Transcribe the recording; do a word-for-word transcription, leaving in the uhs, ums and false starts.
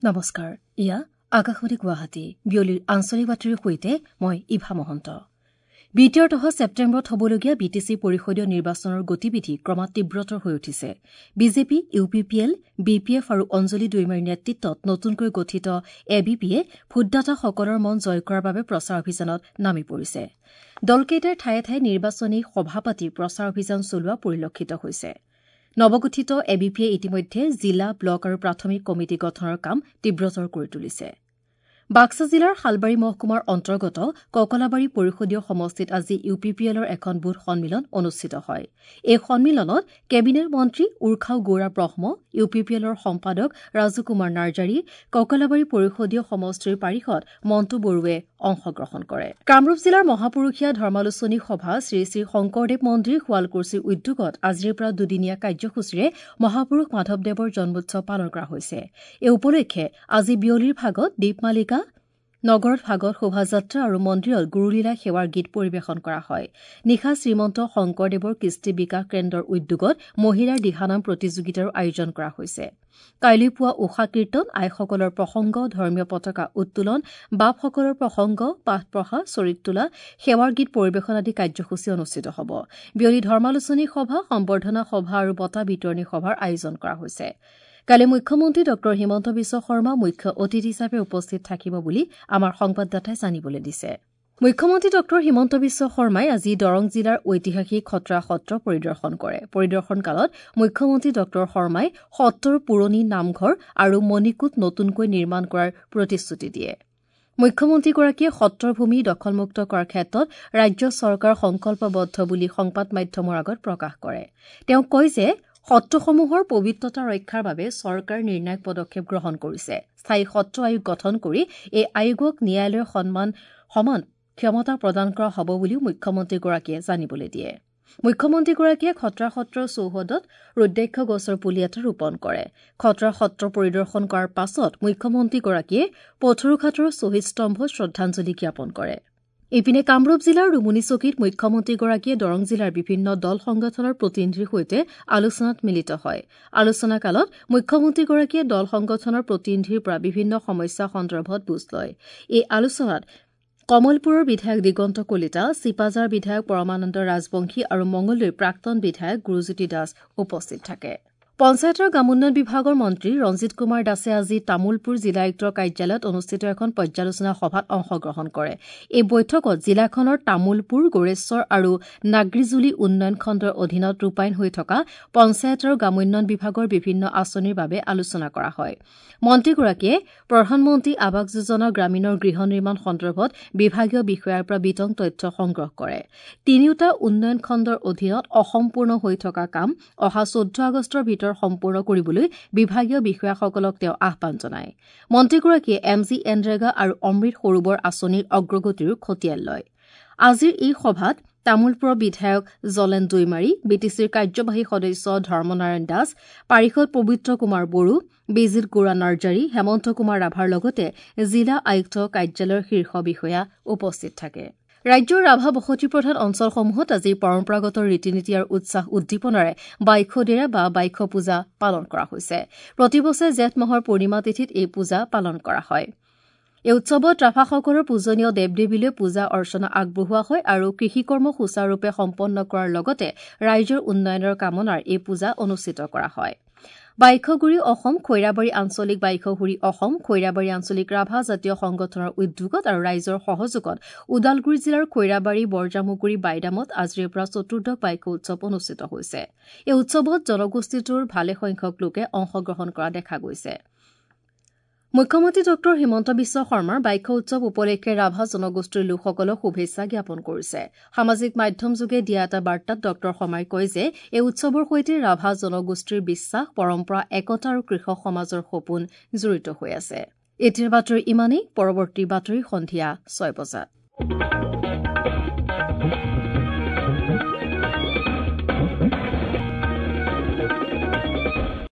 নমস্কাৰ, ইয়া আকাশবাণী গুৱাহাটী। বিয়লিৰ আঞ্চলিক বাতৰিৰ সৈতে মই ইভা মহন্ত। বিটিআৰ তথা ছেপ্টেম্বৰত হ'বলগীয়া বি টি চি পৰিষদীয় নিৰ্বাচনৰ গতিবিধি ক্ৰমাৎ তীব্ৰতৰ হৈ উঠিছে। BJP, U P P L, B P F আৰু অঞ্জলি দৈমাৰীৰ নেতৃত্বত নতুনকৈ গঠিত এ বি পিয়ে ভোটদাতাসকলৰ মন জয় কৰাৰ বাবে প্ৰচাৰ অভিযানত নামি পৰিছে। দলকেইটাৰ ঠায়ে ঠায়ে নিৰ্বাচনী সভা পাতি প্ৰচাৰ অভিযান চলোৱা পৰিলক্ষিত হৈছে। নৱগঠিত এ বি পিয়ে ইতিমধ্যে জিলা, ব্লক আৰু প্ৰাথমিক কমিটি গঠনৰ কাম তীব্ৰতৰ কৰি তুলিছে। বাক্সা জিলাৰ শালবাৰী মহকুমাৰ অন্তৰ্গত ককলাবাৰী পৰিষদীয় সমষ্টিত আজি ইউ পি পি এলৰ এখন বুথ সন্মিলন অনুষ্ঠিত হয়। এই সন্মিলনত কেবিনেট মন্ত্ৰী Urkhao Gwra Brahma, U P P এলৰ সম্পাদক ৰাজু কুমাৰ নাৰ্জাৰী, ককলাবাৰী পৰিষদীয় সমষ্টিৰ পাৰিষদ মণ্টু বড়োৱে অংশগ্ৰহণ কৰে। কামৰূপ জিলাৰ মহাপুৰুষীয়া ধৰ্মালোচনী সভা শ্ৰী শ্ৰী শংকৰদেৱ মন্দিৰ শুৱালকুছিৰ উদ্যোগত আজিৰে পৰা দুদিনীয়া কাৰ্যসূচীৰে মহাপুৰুষ মাধৱদেৱৰ জন্মোৎসৱ পালন কৰা হৈছে। এই উপলক্ষে আজি বিয়লিৰ ভাগত দীপমালিকা নগৰত ভাগত শোভাযাত্ৰা আৰু মন্দিৰত গুৰুলীলা সেৱাৰ গীত পৰিৱেশন কৰা হয়। নিশা শ্ৰীমন্ত শংকৰদেৱৰ কৃষ্টি বিকাশ কেন্দ্ৰৰ উদ্যোগত মহিলাৰ দিহানাম প্ৰতিযোগিতাৰো আয়োজন কৰা হৈছে। কাইলৈ পুৱা ঊষা কীৰ্তন, আইসকলৰ প্ৰসংগ, ধৰ্মীয় পতাকা উত্তোলন, বাপসকলৰ প্ৰসংগ, পাঠ পঢ়া, চৰিত তোলা, সেৱাৰ গীত পৰিৱেশন আদি কাৰ্যসূচী অনুষ্ঠিত হ'ব। বিয়লি ধৰ্মালোচনী সভা, সম্বৰ্ধনা সভা আৰু বঁটা বিতৰণী সভাৰ আয়োজন কৰা হৈছে। কালি মুখ্যমন্ত্ৰী ডঃ হিমন্ত বিশ্ব শৰ্মা মুখ্য অতিথি হিচাপে উপস্থিত থাকিব বুলি আমাৰ সংবাদদাতাই জানিবলৈ দিছে। মুখ্যমন্ত্ৰী ডঃ হিমন্ত বিশ্ব শৰ্মাই আজি দৰং জিলাৰ ঐতিহাসিক খটৰা সত্ৰ পৰিদৰ্শন কৰে। পৰিদৰ্শনকালত মুখ্যমন্ত্ৰী ডঃ শৰ্মাই সত্ৰৰ পুৰণি নামঘৰ আৰু মণিকূট নতুনকৈ নিৰ্মাণ কৰাৰ প্ৰতিশ্ৰুতি দিয়ে। মুখ্যমন্ত্ৰীগৰাকীয়ে সত্ৰৰ ভূমি দখলমুক্ত কৰাৰ ক্ষেত্ৰত ৰাজ্য চৰকাৰ সংকল্পবদ্ধ বুলি সংবাদ মাধ্যমৰ আগত প্ৰকাশ কৰে। তেওঁ কয় যে সত্ৰসমূহৰ পবিত্ৰতা ৰক্ষাৰ বাবে চৰকাৰে নিৰ্ণায়ক পদক্ষেপ গ্ৰহণ কৰিছে। স্থায়ী সত্ৰ আয়োগ গঠন কৰি এই আয়োগক ন্যায়ালয়ৰ সন্মান সমান ক্ষমতা প্ৰদান কৰা হ'ব বুলিও মুখ্যমন্ত্ৰীগৰাকীয়ে জানিবলৈ দিয়ে। মুখ্যমন্ত্ৰীগৰাকীয়ে খটৰা সত্ৰৰ চৌহদত ৰুদ্ৰাক্ষ গছৰ পুলি এটা ৰোপণ কৰে। খটৰা সত্ৰ পৰিদৰ্শন কৰাৰ পাছত মুখ্যমন্ত্ৰীগৰাকীয়ে পথৰুঘাটৰ শ্বহীদ স্তম্ভত শ্ৰদ্ধাঞ্জলি জ্ঞাপন কৰে। ইপিনে কামৰূপ জিলাৰ ৰুমুনিচকীত মুখ্যমন্ত্ৰীগৰাকীয়ে দৰং জিলাৰ বিভিন্ন দল সংগঠনৰ প্ৰতিনিধিৰ সৈতে আলোচনাত মিলিত হয়। আলোচনাকালত মুখ্যমন্ত্ৰীগৰাকীয়ে দল সংগঠনৰ প্ৰতিনিধিৰ পৰা বিভিন্ন সমস্যা সন্দৰ্ভত বুজ লয়। এই আলোচনাত কমলপুৰৰ বিধায়ক দিগন্ত কলিতা, চিপাঝাৰ বিধায়ক পৰমানন্দ ৰাজবংশী আৰু মঙলদৈৰ প্ৰাক্তন বিধায়ক গুৰুজ্যোতি দাস উপস্থিত থাকে। পঞ্চায়ত আৰু গ্ৰামোন্নয়ন বিভাগৰ মন্ত্ৰী ৰঞ্জিত কুমাৰ দাসে আজি তামুলপুৰ জিলা আয়ুক্তৰ কাৰ্যালয়ত অনুষ্ঠিত এখন পৰ্যালোচনা সভাত অংশগ্ৰহণ কৰে। এই বৈঠকত জিলাখনৰ তামুলপুৰ, গোৰেশ্বৰ আৰু নাগ্ৰীজুলি উন্নয়ন খণ্ডৰ অধীনত ৰূপায়ণ হৈ থকা পঞ্চায়ত আৰু গ্ৰামোন্নয়ন বিভাগৰ বিভিন্ন আঁচনিৰ বাবে আলোচনা কৰা হয়। মন্ত্ৰীগৰাকীয়ে প্ৰধানমন্ত্ৰী আৱাস যোজনা গ্ৰামীণৰ গৃহ নিৰ্মাণ সন্দৰ্ভত বিভাগীয় বিষয়াৰ পৰা বিতং তথ্য সংগ্ৰহ কৰে। তিনিওটা উন্নয়ন খণ্ডৰ অধীনত অসম্পূৰ্ণ হৈ থকা কাম অহা চৈধ্য আগষ্টৰ ভিতৰত সম্পূৰ্ণ কৰিবলৈ বিভাগীয় বিষয়াসকলক তেওঁ আহ্বান জনায়। মন্ত্ৰীগৰাকীয়ে এম জি এনৰেগা আৰু অমৃত সৰোবৰ আঁচনিৰ অগ্ৰগতিৰো খতিয়ান লয়। আজিৰ এই সভাত তামুলপুৰৰ বিধায়ক জলেন দৈমাৰী, বি টি চিৰ কাৰ্যবাহী সদস্য ধৰ্মনাৰায়ণ দাস, পাৰিষদ পবিত্ৰ কুমাৰ বড়ো, বিজিত গৌৰা নাৰ্জাৰী, হেমন্ত কুমাৰ ৰাভাৰ লগতে জিলা আয়ুক্ত কাৰ্যালয়ৰ শীৰ্ষ বিষয়া উপস্থিত থাকে। ৰাজ্যৰ ৰাভা বসতিপ্ৰধান অঞ্চলসমূহত আজি পৰম্পৰাগত ৰীতি নীতি আৰু উৎসাহ উদ্দীপনাৰে বাইখদেৰা বা বাইখ পূজা পালন কৰা হৈছে। প্ৰতিবছৰে জেঠ মাহৰ পূৰ্ণিমা তিথিত এই পূজা পালন কৰা হয়। এই উৎসৱত ৰাভাসকলৰ পূজনীয় দেৱ দেৱীলৈ পূজা অৰ্চনা আগবঢ়োৱা হয় আৰু কৃষিকৰ্ম সুচাৰুৰূপে সম্পন্ন কৰাৰ লগতে ৰাইজৰ উন্নয়নৰ কামনাৰ এই পূজা অনুষ্ঠিত কৰা হয়। বাইখগুৰি অসম, খৈৰাবাৰী আঞ্চলিক বাইখগুৰি অসম, খৈৰাবাৰী আঞ্চলিক ৰাভা জাতীয় সংগঠনৰ উদ্যোগত আৰু ৰাইজৰ সহযোগত ওদালগুৰি জিলাৰ খৈৰাবাৰী, বৰজামুগুৰি, বাইদামত আজিৰে পৰা চতুৰ্দশ বাইখ উৎসৱ অনুষ্ঠিত হৈছে। এই উৎসৱত জনগোষ্ঠীটোৰ ভালেসংখ্যক লোকে অংশগ্ৰহণ কৰা দেখা গৈছে। মুখ্যমন্ত্ৰী ডঃ হিমন্ত বিশ্ব শৰ্মাৰ বাইখ উৎসৱ উপলক্ষে ৰাভা জনগোষ্ঠীৰ লোকসকলক শুভেচ্ছা জ্ঞাপন কৰিছে। সামাজিক মাধ্যমযোগে দিয়া এটা বাৰ্তাত ডঃ শৰ্মাই কয় যে এই উৎসৱৰ সৈতে ৰাভা জনগোষ্ঠীৰ বিশ্বাস, পৰম্পৰা, একতা আৰু কৃষক সমাজৰ সপোন জড়িত হৈ আছে। এতিয়াৰ বাতৰি ইমানেই। পৰৱৰ্তী বাতৰি সন্ধিয়া ছয় বজাত।